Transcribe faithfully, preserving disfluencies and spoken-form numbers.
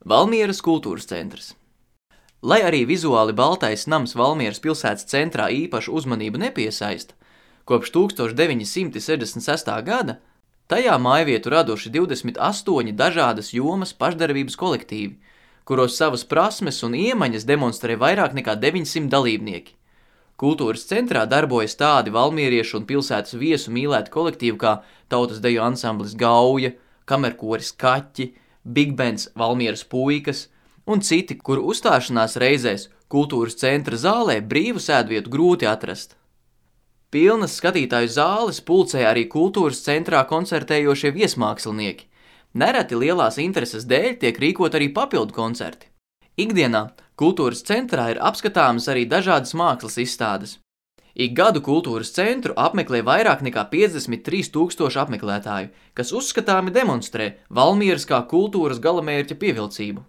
Valmieras kultūras centrs. Lai arī vizuāli baltais nams Valmieras pilsētas centrā īpašu uzmanību nepiesaista, kopš tūkstoš deviņi simti sešdesmit sestā gada tajā mājvietu raduši divdesmit astoņi dažādas jomas pašdarbības kolektīvi, kuros savas prasmes un iemaņas demonstrē vairāk nekā deviņsimt dalībnieki. Kultūras centrā darbojas tādi valmieriešu un pilsētas viesu mīlēti kolektīvi kā tautas deju ansamblis Gauja, kamerkoris Kaķi, bigbands Valmieras puikas un citi, kuru uzstāšanās reizēs kultūras centra zālē brīvu sēdvietu grūti atrast. Pilnas skatītāju zāles pulcē arī kultūras centrā koncertējošie viesmākslinieki. Nereti lielās intereses dēļ tiek rīkot arī papildu koncerti. Ikdienā kultūras centrā ir apskatāmas arī dažādas mākslas izstādes. Ik gadu kultūras centru apmeklē vairāk nekā piecdesmit trīs tūkstoši apmeklētāju, kas uzskatāmi demonstrē Valmieras kā kultūras galamērķa pievilcību.